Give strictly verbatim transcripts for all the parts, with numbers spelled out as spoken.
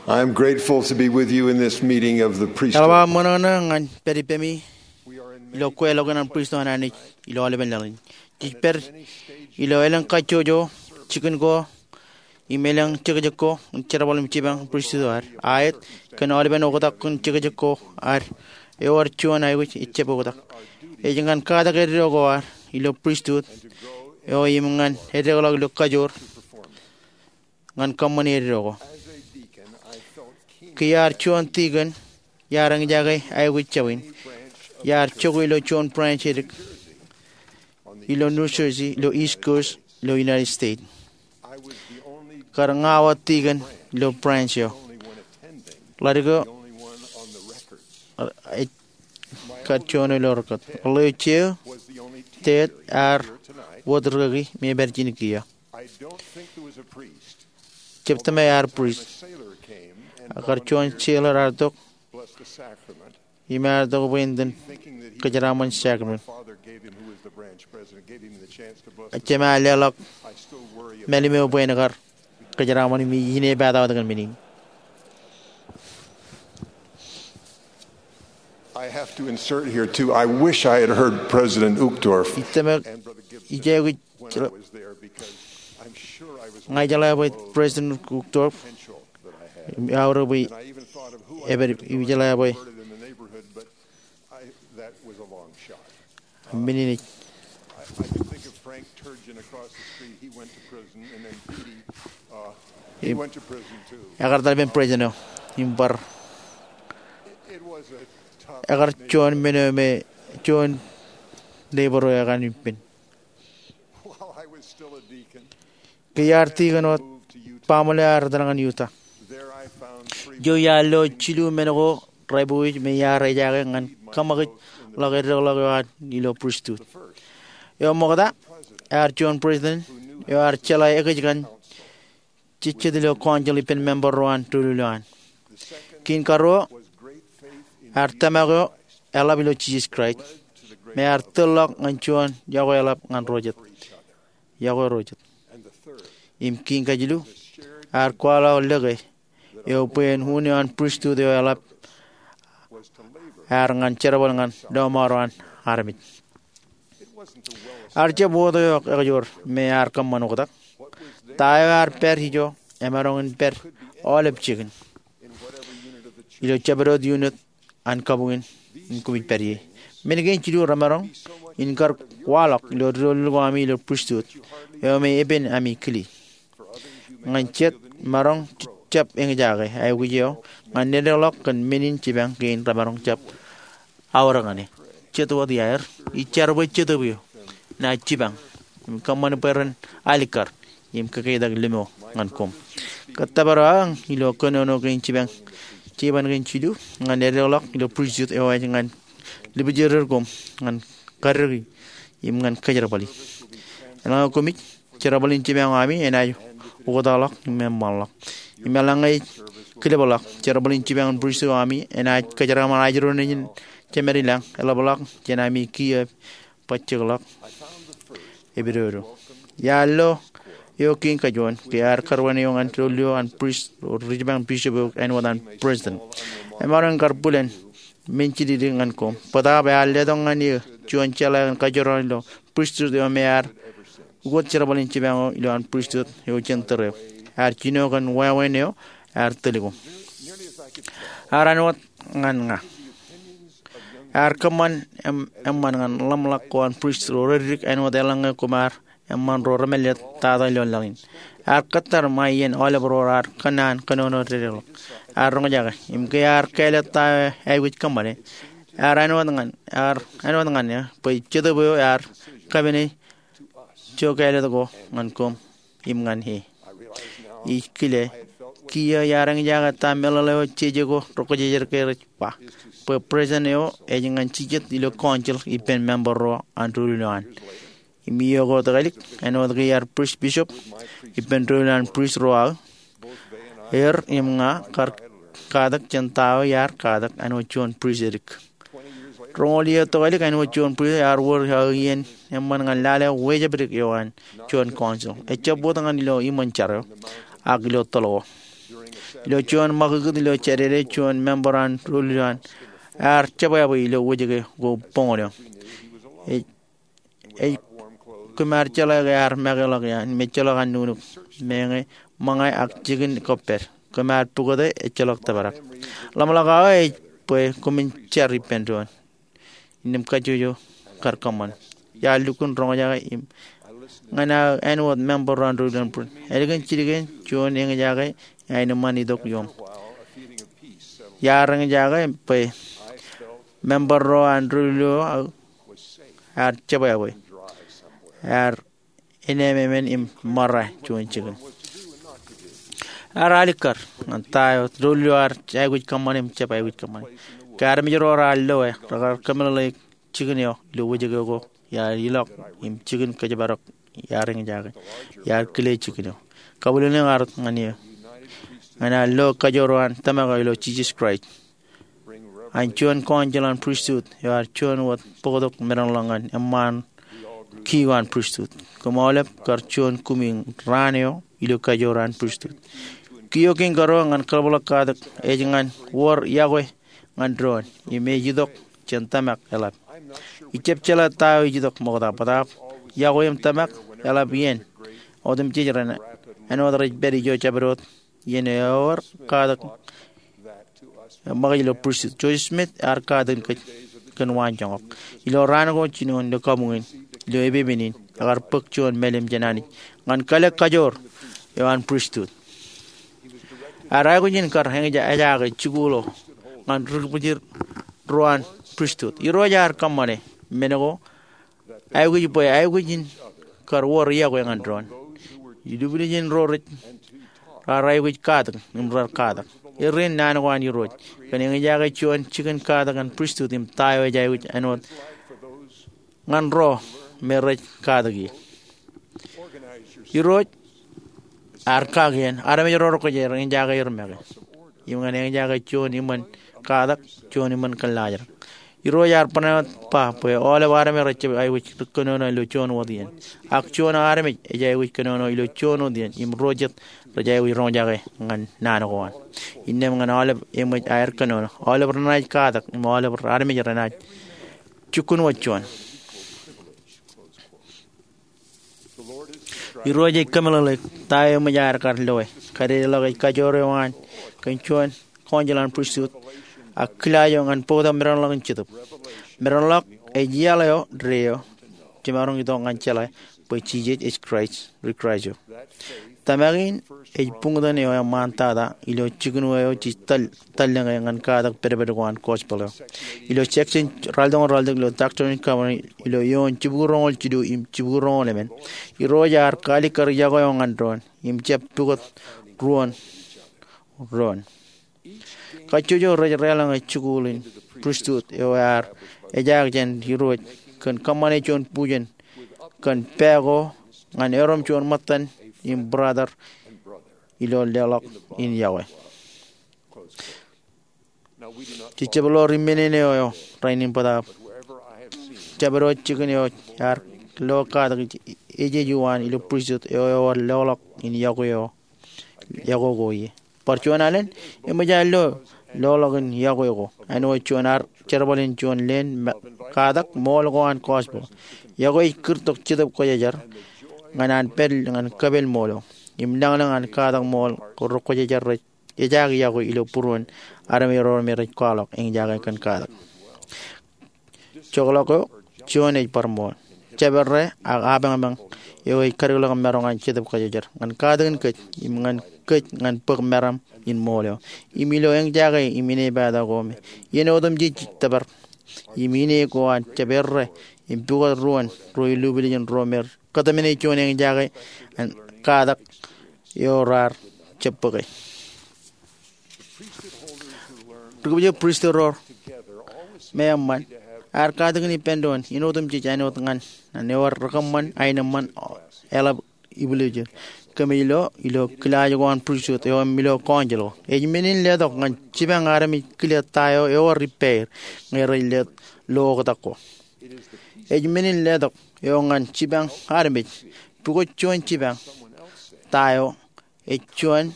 I'm grateful to be with you in this meeting of the priesthood. Eḷap aō ṃōṇōṇō ñan pād ippemi ilo kweilọk in an pristut an Anij ilo aolepen laḷ in. Jej pād ilo elōñ kajjojo, jikin ko im elōñ jekjek ko in jerbal im jipañ pristut eo ad. Aet, kōn aolepen oktak in jekjek ko ad, ewōr juon aikuj ejjab oktak. Ej ñan katak eddo ko ad ilo pristut eo im ñan eddekḷọk ilo kajoor ñan kōṃṃani eddo ko. Ke iar juon tikōn, iar eñjake aikuj jabwin. Iar jokwe ilo juon branch edik ilo New Jersey, ilo East Coast, ilo United States. Kar ña wōt tikōn ilo branch eo. Ḷadik eo, ej kar juon ilo rekōt. Ḷeo, jeō, tet, ear wōt rikaki me ej pād ijin kiiō. Jab tōmak ear priest. Ak kar juon sailor ear tok im ear tok bwe en itōn kōjeraaṃṃan sacrament. Jema leḷọk mālim eo bwe en kar kōjeraaṃṃan im ij inepata wōt kōn men in. I have to insert here too. I wish I had heard President Uchtdorf. Ij tōmak, ij aikuj, ña ij jeḷā bwe President Uchtdorf, im aorōk bwe ej pād, ij jeḷā bwe men in ej. Im ekar etal ippān president eo im bar, ekar juon men eo me juon neighbor eo ekar ippān. Ke iar tikōn wōt, baaṃle ear etal ñan Utah. Ijo iar lo jilu men ko rej pukwi me iar ejaake ñan kōṃakijḷọk eddekḷọk eo an ilo pristut. Eo ṃokta, ear juon president eo ear jeḷā ekōjkan jejjet ilo council ippān member ro an doulul eo an. Kein karuo, ear tōmak eo eḷap ilo Jisōs Kraist, me ear tōlḷọk ñan juon yokwe eḷap ñan ro jet. Yokwe ro jet. Im kein kajilu, ear kwaḷọk lōke eo bwe en un eo an pristut eo eḷap ear ñan jerbal ñan lọmọọr eo an armej. Ear jab wōt eo ekajoor me ear kōṃṃan oktak. Ta eo ear pād ijo emaroñ in pād aolep jikin ilo jabdewōt unit an kabuñ in koṃij pād ie. Men kein jilu remaroñ in kar kwaḷọk ilo doulul ko ami ilo pristut eo me epen ami kile. Ñan jet, maroñ jab eñjake aikuj eo ñan eddekḷọk kōn men in jipañ kein remaroñ jab aorōk ñan e. Jet wōt iaer, ij jar bwe Jetōb eo enaaj jipañ im kōṃṃan bwe ren alikkar im kakeitak limo ñan koṃ. Kōttōpar aō aō ilo kōnono kein jipañ, jipañ kein jilu ñan eddekḷọk ilo pristut eo ej ñan libjidikdik koṃ ñan kaddiki im ñan kōjerbali. Eḷaññe koṃij, jerbal in jipañ eo ami enaaj oktakḷọk im eṃṃanḷọk. Im eḷaññe ej kilipḷọk, jerbal in jipañ in pristut eo ami enaaj kōjeraaṃṃan ajri ro nejin jemād ilañ, eḷapḷọk jān ami kiiō bajjekḷọk epidodo. Iar lo eo kein kajuon, ke ear kar wāween eo ñan doulul eo an prist ro ri jipañ bishop eo āinwōt an president. Emaroñ in kar bwilōñ men jidikdik ñan koṃ. Bōtaab ear letok ñan eō juon jeḷā kōn kajorrāān ilo pristut eo me ear ukōt jerbal in jipañ eo ilo an pristut eo jān tōre eo. Ear jino kōn wāween eo ear tōl koṃ. Ear āinwōt ñan ña. Ear kōṃṃan eṃ-, eṃṃan ñan ḷōmṇak ko an prist ro reddik āinwōt eḷaññe koṃ ar eṃṃan ro remālōtlōt tata ilo laḷ in. Ear kōttar ṃae iien aolep ro raar kōnnaan kōnono dedeḷọk. Ear roñjake, im ke ear kāālōt ta eo aikuj kōṃṃane, ear āinwōt ñan, ear āinwōt ñan eō, bwe Jetōb eo ear kapene ijo kāālōt ko ñan koṃ im ñan e. Ij kile, kiiō iar eñjake ta meḷeḷe eo jeje ko rokjejed ke rej ba, bwe president eo ej ñan jijet ilo council ippān member ro an doulul eo an. Im iiō ko tōkālik, āinwōt ke iar prist bishop ippān doulul an prist ro aō, er im ña kar katak jān ta eo iar katak āinwōt juon prist edik. Roñoul iiō tōkālik āinwōt juon prist, ear wōr aō iien eṃṃan ñan lale wejāpdik eo an juon council. Ejjab wōt ñan ilo iṃōn jar eo, ak ilo toḷ ko. Ilo juon ṃakūtkūt ilo Jādede, juon member an doulul eo an ear jebwābwe ilo wōjke ko boñōn eo. Ej, ej, kōm ar jeḷā ke ear make ḷọk iaan im ejjeḷọk an nuknuk, meñe, ṃōñā ak jikin kōppād. Kōm ar pukot e, ejjeḷọk tōprak. Ḷōmṇak eo ej bwe koṃwin jar ippān doon. Innām kajjojo kar kōṃṃan. Iar lukkuun roñjake im ñan aō āinwōt member ro an doulul an Brit. Ālikin jidik in juon eñjake aenōṃṃan itok iom. Iar eñjake bwe member ro an doulul eo aō ear jebwābwe. Ear enememān im ṃōrā juon jikin. Ear alikkar ñan ta eo doulul eo ear aikuj kōṃṃane im jab aikuj kōṃṃane. Ke armej ro raar loe, rekar kōmeḷeḷeik jikin eo ilo wōjke ko. Iar ilọk im jikin kōjparok iar eñjake. Iar kile jikin eo. Kabwilōñlōñ ear tok ñan eō ñan aō lo kajoor eo an tōmak eo ilo Jisōs Kraist an juon council an pristut eo ear juon wōt bōktok meḷeḷe ñan eṃṃaan kiiō an pristut. Koṃ aolep kar juon kumi raan eo ilo kajoor an pristut. Kiiō kein karuo ñan kaḷapḷọk katak ej ñan wōr iọkwe ñan doon im ej itok jān tōmak eḷap. Ijjab jeḷā ta eo ej itok ṃokta, bōtaab iọkwe im tōmak eḷap iien otemjej ren āinwōt rej pād ijo jabdewōt iien eo eor katak ṃōkaj ilo pristut. Joseph Smith ear katakin kōj kōn waanjoñak. Ilo raan ko jinoin ilo kabuñ in, ilo epepen in, ekar bōk juon mālim jān Anij ñan kale kajoor eo an pristut. Ear aikuj in kar eñjake jikuuḷ eo ñan ri kōbwijin ro an pristut. Irooj ear kōṃṃane men ko aikuj bwe aikuj in kar wōr iọkwe ñan doon. Ilubwiljin ro rej raar aikuj katak im rar katak. Erreo naan ko an Irooj kōn eñjake juon jikin katak an pristut im ta eo ej aikuj āinwōt ñan ro me rej katak ie. Irooj ear kakien armej ro rekwōj eñjake er make im ñan eñjake juon iṃōn katak, juon iṃōn kōllaajrak. Irooj ear bōk ba bwe aolep armej rej jab aikuj kōnono ilo juon wōt iien. Ak juon armej ej aikuj kōnono ilo juon wōt iien im ro jet rej aikuj roñjake ñan naan ko an. Innām ñan aolep eṃōj aer kōnono, aolep renaaj katak im aolep armej renaaj jukkuṇ wōt juon. Irooj ej kōmeḷeḷeik ta eo eṃōj aer kar loe. Kadedeḷọk ej kajoor eo an kōn juon council an pristut ak kilaaj eo ñan bōktok meḷeḷe in Jetōb. Meḷeḷe ej iaḷ eo deo jemaroñ itok ñan jeḷā bwe Jisōs ej Kraist, ri Kraist eo. Tōmak in ej buñtōn eo eṃṃantata ilo jikin eo jej tōl tōl ñe ñan katak pedped ko an gospel eo. Ilo section ralitōñoul ralitōk ilo Doctrine and Covenants ilo eoon jibukwi roñoul jilu im jibukwi roñoul emān, Irooj ear kaalikkar iọkwe eo ñan doon im jab pukot ruon doon. Kajjojo rej deḷọñe jikuuḷ in pristut eo ear ejaak jān Irooj kōn kōṃṃane juon bujen kōn pā ko ñan erom juon ṃōttan im brother ilo leḷọk in iọkwe. Jej jab lo ri men in eo rainin bōtaab jab eo jikin eo ear lo katak ejej uwaan ilo pristut eo ewōr leḷọk in iọkwe eo, iọkwe ko ie. Bar juon alen eṃōj aer lo leḷọk in iọkwe ko āinwōt juon ad jerbal in juon leen katak ṃool ko an gospel. Iọkwe ej kūrtok Jetōb Kwōjarjar ñan an pād ñan kōpel ṃool eo im lañlōñ an katak ṃool ko ri kwōjarjar rej ejaak iọkwe ilo būruon armej ro me rej kwaḷọk eñjake kōn katak. Jokḷọk eo juon ej bar ṃool. Jabdewōt ak apañpañ eo ej kadikḷọk maroñ an Jetōb Kwōjarjar ñan katakin kōj im ñan kōj ñan bōk meram in ṃool eo im ilo eñjake im inepata ko me iien otemjej ej tōpar im ine ko an jabdewōt im pukot ruon ro ilubwiljin ro me kōtmāne juon eñjake an katak eo raar jab bōke. Ri kōbwijin pristut ro me eṃṃan ear katakin ippān doon in otemjej āinwōt ñan an ewōr ri kōṃṃan aenōṃṃan eḷap ibwiljin. Kōmij lo ilo kilaaj ko an pristut eo im ilo council ko. Ej men in letok ñan jipañ armej kile ta eo ewōr ippāer ñe rej letok lo oktak ko. Ej men in letok eo ñan jipañ armej pukot juon jipañ ta eo ej juon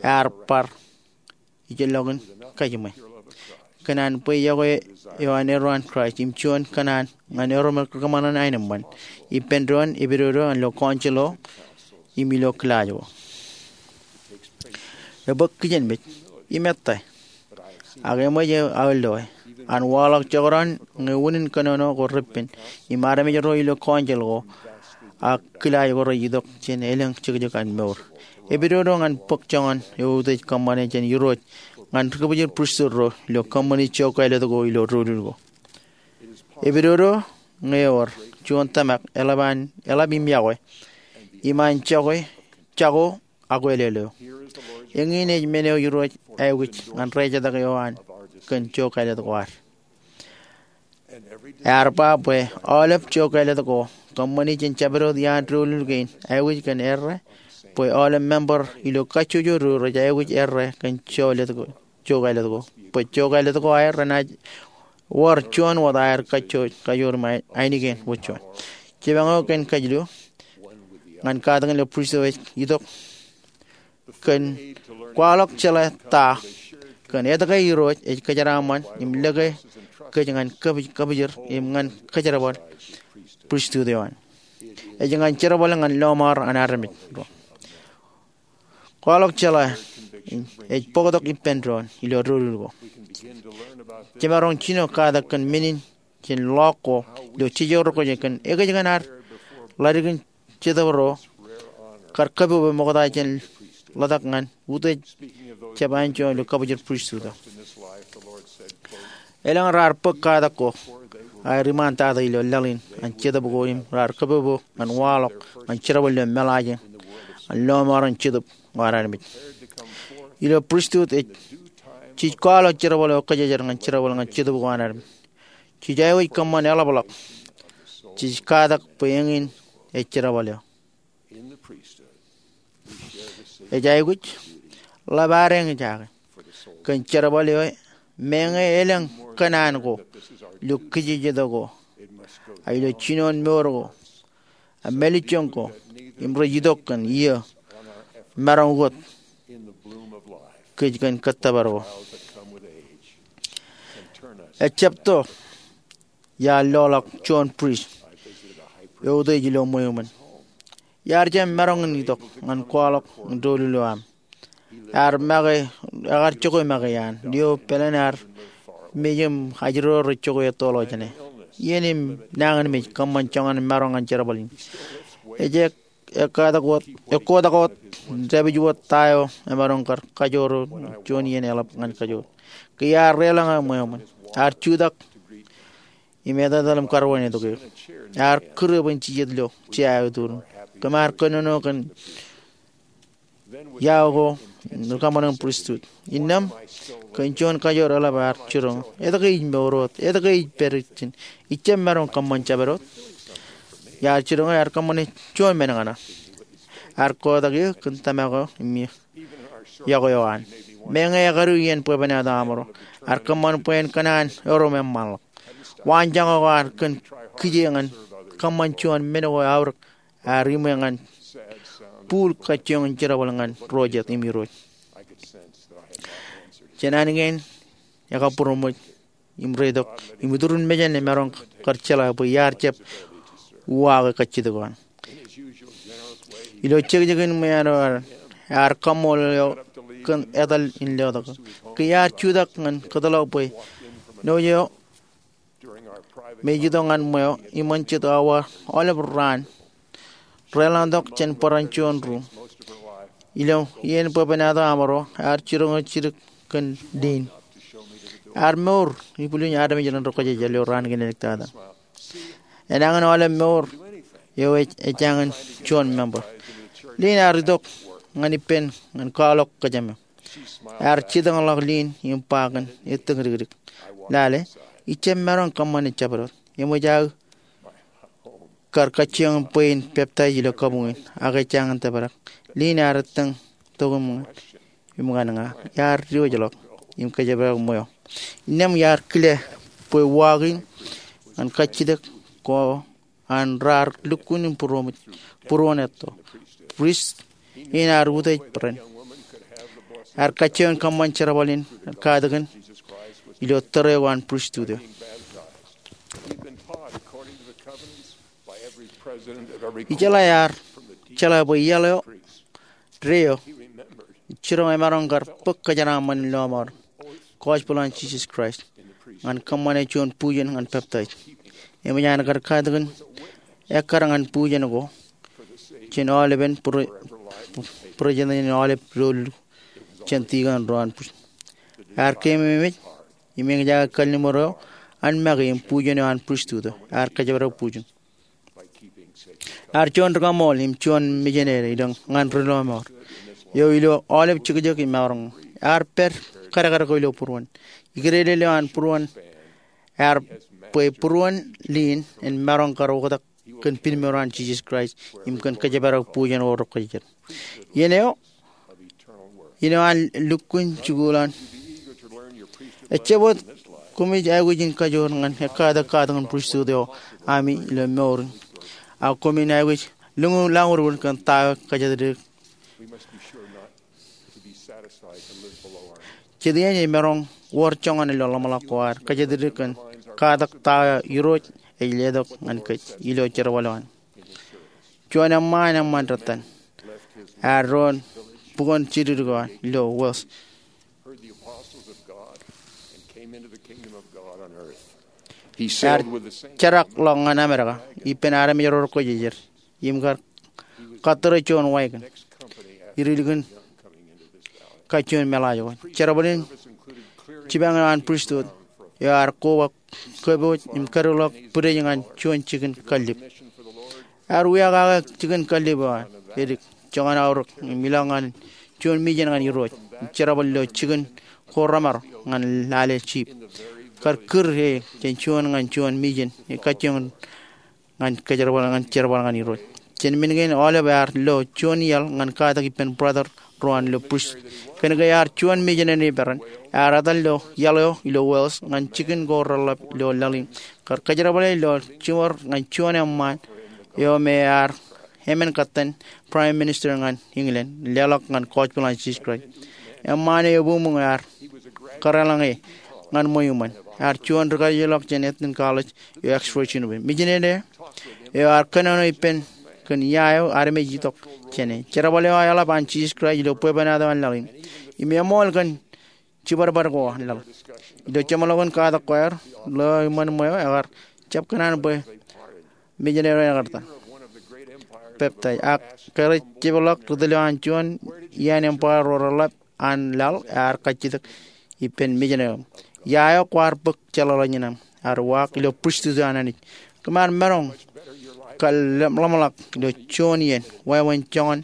ear bar ijellọkin kajiṃwe. Kōn an bwe iọkwe eo an erro an Kraist im juon kōṇaan ñan erro me kōṃṃan aenōṃṃan, ippān doon epidodo an ilo council eo im ilo kilaaj ko. Ebōk kijenmej im ettā, ak eṃōj aō loe. An waḷọk jekdọọn ñe unin kōnono ko repen im armej ro ilo council ko ak kilaaj ko rej itok jān elōñ jekjek an mour. Epidodo ñan bōk joñan eutiej kōṃṃane jān Irooj ñan kōpojor pristut ro ilo kōṃṃani jook kāālōt ko ilo doulul ko. Epidodo ñe ewōr juon tōmak eḷap an, eḷap im iọkwe im an jako, jako akwālele eo. Eñin ej men eo Irooj aikuj ñan rejatōk eo an kōn jook kāālōt ko ad. Ear ba bwe aolep jook kāālōt ko kōṃṃani jān jabdewōt iaan doulul kein aikuj kōn errā bwe aolep member ilo kajjojo ro rej aikuj errā kōn jook kāālōt ko, bwe jook kāālōt ko aer renaaj wōr juon wōt aer kajjojo, kajoor im ainikien wōt juon. Jemān eo kein kajilu ñan katakin ilo pristut eo ej itok kōn kwaḷọk jeḷā ta kōn etke Irooj ej kōjeraaṃṃan im lōke kōj ñan kōpij, kōpojor im ñan kōjerbal pristut eo an. Ej ñan jerbal ñan lọmọọr an armej ro. Kwaḷọk jeḷā ej bōktok ippān doon ilo doulul ko. Jemaroñ jino katak kōn men in jān ḷọk ko ilo jeje ro kōj kōn ekōjkan ad ḷaddik in Jetōb ro kar kōpopo ṃokta jān ḷotak ñan utiej jab anjọ ilo kōpojor pristut eo. Elōñ raar bōk katak ko aer iṃaantata ilo laḷ in an jetōb ko im raar kōpopo ñan waḷọk ñan jerbal ilo meḷaajin an lọmọọren jetōb eo an armej. Ilo pristut ej, jej kwaḷọk jerbal eo kōjejer ñan jerbal ñan jetōb ko an armej. Jej aikuj kōṃṃan eḷapḷọk. Jej katak bwe eñin ej jerbal eo. Ej aikuj ḷap ad eñjake kōn jerbal eo, meñe elōñ kōṇaan ko ilo kijejeto ko, ak ilo jinoin mour ko, ak mālejjoñ ko, im rej itok kōn iiō maroñ wōt kōj kōn kōttōpar ko. Ejjab to iar loḷọk juon prist eutiej ilo ṃweo ṃōn. Iar jab maroñ in itok ñan kwaḷọk doulul eo aṃ. Ear make, ekar jokwe make iaan. Lio pāleen ear mej im ajri ro rej jokwe ettoḷọk jāne. Iien im nañinmej kōṃṃan joñan maroñ ñan jerbal in. Ej ek, ekkotak wōt, ekkotak wōt, dāpij wōt ta eo emaroñ kar kajoor juon iien eḷap ñan kajoor. Ke iar deḷọñ ṃweo ṃōn, ear jutak im etetal im karwainetok eō. Ear kūr bwe en jijet ilo jea eo eturin. Kōm ar kōnono kōn iao ko im rikaṃṃan in pristut. Innām kōn juon kajoor eḷap ear jiroñ, etke ij mour wōt, etke ij pād ijin, ijjab maroñ kōṃṃan jabdewōt. Iar jiroñ ear kōṃṃane juon men ñan eō. Ear kotak eō kōn tōmak eo im iọkwe eo an. Meñe ekadu iien bwebwenato aṃro, ear kōṃṃan bwe en kōṇaan erom eṃṃanḷọk. Waanjoñak eo ad kōn kije ñan kōṃṃan juon men ko eaorōk ear iṃwe ñan bōl kajjioñ in jerbal ñan ro jet im Irooj. Jān an kein ekabūroṃōj im reitok im iturin mejān emaroñ kar jeḷā bwe iar jab uwaake kajjitōk eo an. Ilo jekjekin ṃwiin eo ear kaṃṃoolol eō kōn etal in letok. Ke iar jutak ñan kōtḷọk bwe ṇo eo me ej itok ñan ṃweo iṃōn jet awa aolep raan, deḷọñtok jān bōran juon ruuṃ. Ilo iien bwebwenato aṃro ear jiroñ jidik kōn Lynn. Ear mour ibwiljin armej ren ri-kōjejāl ilo raan kein āliktata. Enañin aolep mour eo ej, ejañin juon member. Lynn ear itok ñan ippān ñan kwaḷọk kōjām eo. Ear jitōñḷọk Lynn im ba kōn ettōñdikdik, "Lale, ijjab maroñ kōṃṃane jabdewōt. Eṃōj aō kar kajjioñ bwe in peptaij ilo kabuñ in, ak ej jañin tōprak." Lynn ear ettōñ tok im ñan, im ñan ña. Iar diwōjḷọk im kōjepdek ṃweo. Innām iar kile bwe uwaak in ñan kajjitōk ko an raar lukkuun im būroṃōj, būruon etto. Prist in ear utiej bōran. Ear kajjioñ kōṃṃan jerbal in katakin ilo tōre eo an pristut eo. Ijeḷā ear jeḷā bwe iaḷ eo, deo, jiroñ emaroñ kar bōk kōjeraaṃṃan in lọmọọr, gospel an Jisōs Kraist, ñan kōṃṃane juon bujen ñan peptaij. Eṃōj an kar katakin ekkar ñan bujen ko jān aolepen bwidej in aolep doulul jān tikōn ro an pristut. Ear keememej im eñjake kalliṃur eo an make im bujen eo an pristut eo. Ear kōjparok bujen. Ear juon ri-kaṃool im juon mijinede ilo ñan ri-lọmọọr eo ilo aolep jekjek im maroñ. Ear pād kadkad ko ilo būruon. Ikidede eo an būruon ear bwe būruon liin en maroñ kar oktak kōn pinmour an Jisōs Kraist im kōn kōjparok bujen eo rekwōjarjar. Iien eo, iien eo an lukkuun jikuuḷ an. Ejjab wōt koṃij aikuj in kajoor ñan ekkatak katakin pristut eo ami ilo mour in, ak koṃin aikuj lōñ lañurur kōn ta eo kōjatdikdik. Jet iien ej maroñ wōr joñan ilo ḷōmṇak ko ad kōjatdikdik kōn katak ta eo Irooj ej letok ñan kōj ilo jerbal eo an. Juon eṃṃaan, eṃṃaan rōtan, ear doon bukwōn jidikdik eo an ilo Wales. Ear jerakḷọk ñan Amedka ippān armej ro rekwōjarjar im kar kattōre juon wagon ilikin kajjioñ meḷaaj ko. Jerbal in jipañ eo an pristut eo ear koba kōpooj im kadikḷọk bwidej ñan juon jikin kallib. Ear wiakake jikin kallib eo an edik joñan aorōk im ilọk ñan juon mijen ñan Irooj im jerbal ilo jikin ko remar ñan lale jip. Kar kūr e jān juon ñan juon mijen e kajjioñ ñan kōjerbal ñan jerbal ñan Irooj. Jān men kein aolep ear lo juon iaḷ ñan katak ippān brother ro an ilo pristut. Kōnke ear juon mijinede peran, ear etal ilo iaḷ eo ilo Wales ñan jikin ko reḷḷap ilo laḷ in kar kōjerbale ilo jiṃor ñan juon eṃṃaan eo me ear emān kōttan Prime Minister ñan England leḷọk ñan gospel an Jisōs Kraist. Eṃṃaan eo ebuñbuñ ear kōrreḷọñe ñan ṃweo iṃōn. Ear juon ri-kajjioḷọk jān Eton College eo Oxford University. Mijinede eo ear kōnono ippān kōn ia eo armej itok jāne. Jerbal eo eḷap an Jisōs Kraist ilo bwebwenato an laḷ in im eṃool kōn jibadbad ko an laḷ. Ilo jeṃḷọkin katak ko aer, ḷeo iṃōn ṃweo ekar jab kōṇaan bwe mijinede eo ekar ta peptaij ak kōrejjepḷọk ri tōl eo an juon iaan empire ro reḷḷap an laḷ ear kajjitōk ippān mijinede eo. Ia eo kwaar bōk jeḷāḷọkjeṇ aṃ? Ear uwaak ilo pristut eo an Anij. Kōm ar maroñ kar ḷōmṇak ilo juon iien wāween joñan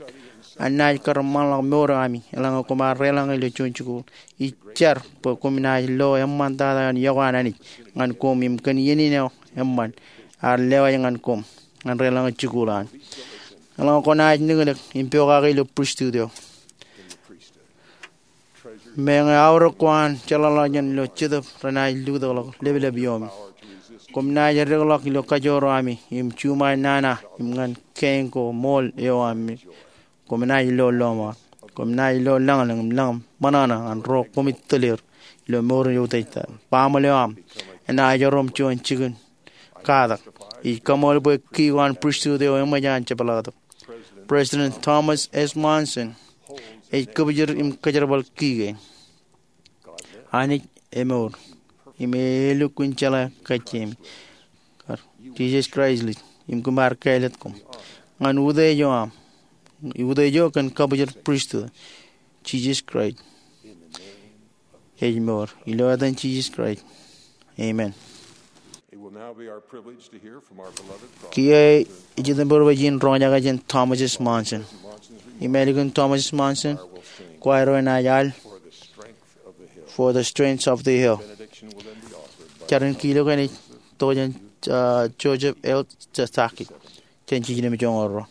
annaaj kar ṃaanḷọk mour eo ami eḷaññe koṃ ar deḷọñe ilo juon jikuuḷ. Ij jar bwe koṃ naaj lo eṃṃantata eo an iọkwe an Anij ñan koṃ im kōn iien in eo eṃṃan ear lewōj ñan koṃ ñan deḷọñe jikuuḷ an. Eḷaññe kwōnaaj niknik im pokake ilo pristut eo, meñe aorōk ko an jeḷāḷọkjeṇ ilo Jetōb renaaj lutōkḷọk leplep ioomi. Koṃ naaj eddekḷọk ilo kajoor eo ami im juṃae nana im ñan kein ko ṃool eo ami. Koṃ naaj lo lọmọọr. Koṃ naaj lo lañlōñ im lañ ṃōṇōṇō ñan ro koṃij tōl er ilo mour in eutiejtata. Baaṃle eo aṃ enaaj erom juon jikin katak. Ij kaṃool bwe ki ko an pristut eo eṃōj an jepḷaaktok. President Thomas S. Monson ej kōbjid im kōjerbal ki kein. Anij emour im e lukkuun jeḷā kajjiemi. Kar Jisōs Kraist ij im kōm ar kāālōt koṃ ñan utiej eo aṃ, utiej eo kōn kabwijin pristut. Jisōs Kraist ej mour. Ilo etan Jisōs Kraist, amen. Kiiō ej itok bwe jen roñjake jān Thomas S. Monson. Im ālikin Thomas S. Monson, kwaar enaaj al For the Strength of the Hill. Jar in kiiō ej itok jān, uh, Joseph L. Stack jān jiljino im joñoul ruo.